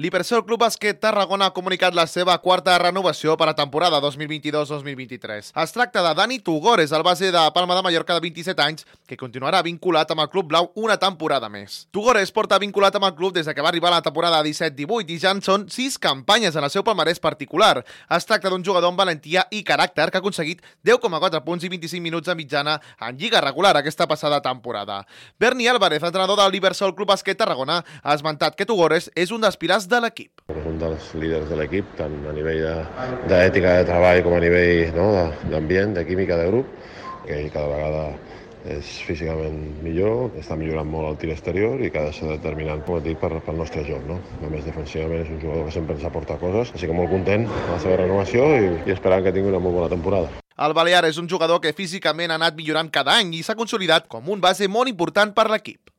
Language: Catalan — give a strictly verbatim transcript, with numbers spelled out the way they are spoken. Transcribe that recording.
L'Hipersol Club Bàsquet Tarragona ha comunicat la seva quarta renovació per a temporada dos mil vint-i-dos dos mil vint-i-tres. Es tracta de Dani Tugores, el base de Palma de Mallorca de vint-i-set anys, que continuarà vinculat amb el Club Blau una temporada més. Tugores porta vinculat amb el club des que va arribar a la temporada disset divuit i ja en són sis campanyes en el seu palmarès particular. Es tracta d'un jugador amb valentia i caràcter que ha aconseguit deu coma quatre punts i vint-i-cinc minuts de mitjana en lliga regular aquesta passada temporada. Berni Álvarez, entrenador del l'Hipersol Club Bàsquet Tarragona, ha esmentat que Tugores és un dels pilars de l'equip. És un dels líders de l'equip, tant a nivell d'ètica de, de treball com a nivell no, d'ambient, de química de grup, que ell cada vegada és físicament millor, està millorant molt el tir exterior i que ha de ser determinant, com et dic, per, pel nostre joc. No? Només defensivament és un jugador que sempre ens aporta coses, així que molt content de la seva renovació i, i esperant que tingui una molt bona temporada. El balear és un jugador que físicament ha anat millorant cada any i s'ha consolidat com un base molt important per l'equip.